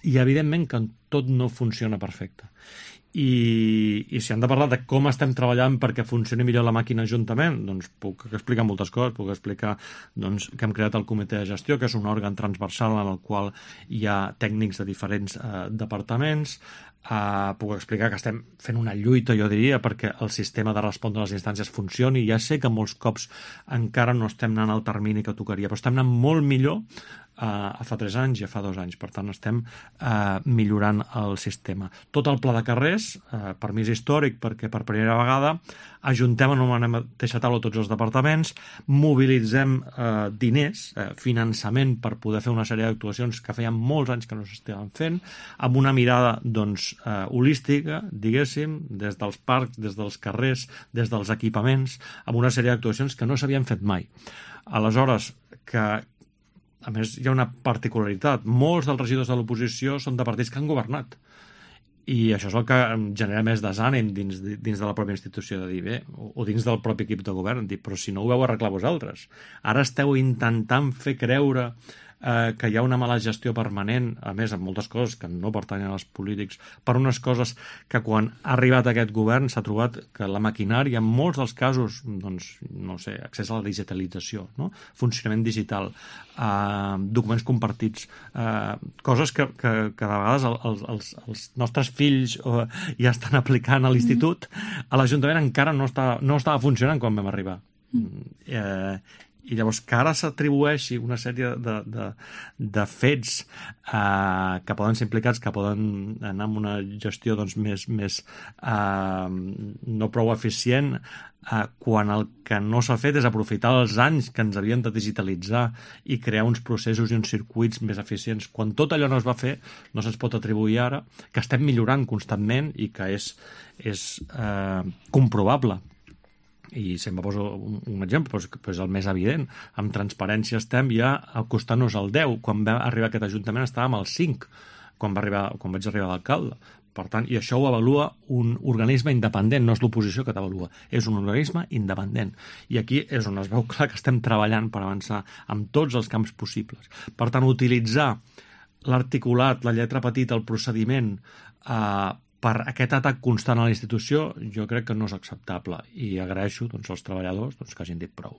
i evidentment que tot no funciona perfecte. I si hem de parlar de com estem treballant perquè funcioni millor la màquina juntament, doncs puc explicar moltes coses. Puc explicar que hem creat el comitè de gestió, que és un òrgan transversal en el qual hi ha tècnics de diferents departaments. Puc explicar que estem fent una lluita, jo diria, perquè el sistema de respondre a les instàncies funcioni. Ja sé que molts cops encara no estem anant al termini que tocaria, però estem anant molt millor a fa 3 anys i a fa 2 anys. Per tant, estem millorant el sistema. Tot el pla de carrers, per mi és històric, perquè per primera vegada ajuntem en una mateixa taula tots els departaments, mobilitzem diners, finançament per poder fer una sèrie d'actuacions que feien molts anys que no s'estaven fent, amb una mirada holística, diguéssim, des dels parcs, des dels carrers, des dels equipaments, amb una sèrie d'actuacions que no s'havien fet mai. Aleshores, a més, hi ha una particularitat. Molts dels regidors de l'oposició són de partits que han governat. I això és el que genera més desànim dins de la pròpia institució, de dir, bé, o dins del propi equip de govern, dir, però si no ho veu arreglar vosaltres. Ara esteu intentant fer creure que hi ha una mala gestió permanent, a més, amb moltes coses que no pertanyen als polítics, per unes coses que quan ha arribat aquest govern s'ha trobat que la maquinària, en molts dels casos, doncs, no sé, accés a la digitalització, no? Funcionament digital, documents compartits, coses que de vegades els nostres fills ja estan aplicant a l'institut, a l'Ajuntament encara no estava funcionant quan vam arribar. I llavors que ara s'atribueixi una sèrie de fets que poden ser implicats, que poden anar amb una gestió doncs, més no prou eficient, quan el que no s'ha fet és aprofitar els anys que ens havien de digitalitzar i crear uns processos i uns circuits més eficients. Quan tot allò no es va fer, no se'ns pot atribuir ara que estem millorant constantment i que és comprovable. I sempre poso un exemple, però és el més evident. Amb transparència estem ja acostant-nos al 10. Quan va arribar aquest Ajuntament estàvem al 5, quan vaig arribar d'alcalde. Per tant, i això ho avalua un organisme independent, no és l'oposició que t'avalua, és un organisme independent. I aquí és on es veu clar que estem treballant per avançar amb tots els camps possibles. Per tant, utilitzar l'articulat, la lletra petita, el procediment, per aquest atac constant a la institució, jo crec que no és acceptable i agraeixo als treballadors que hagin dit prou.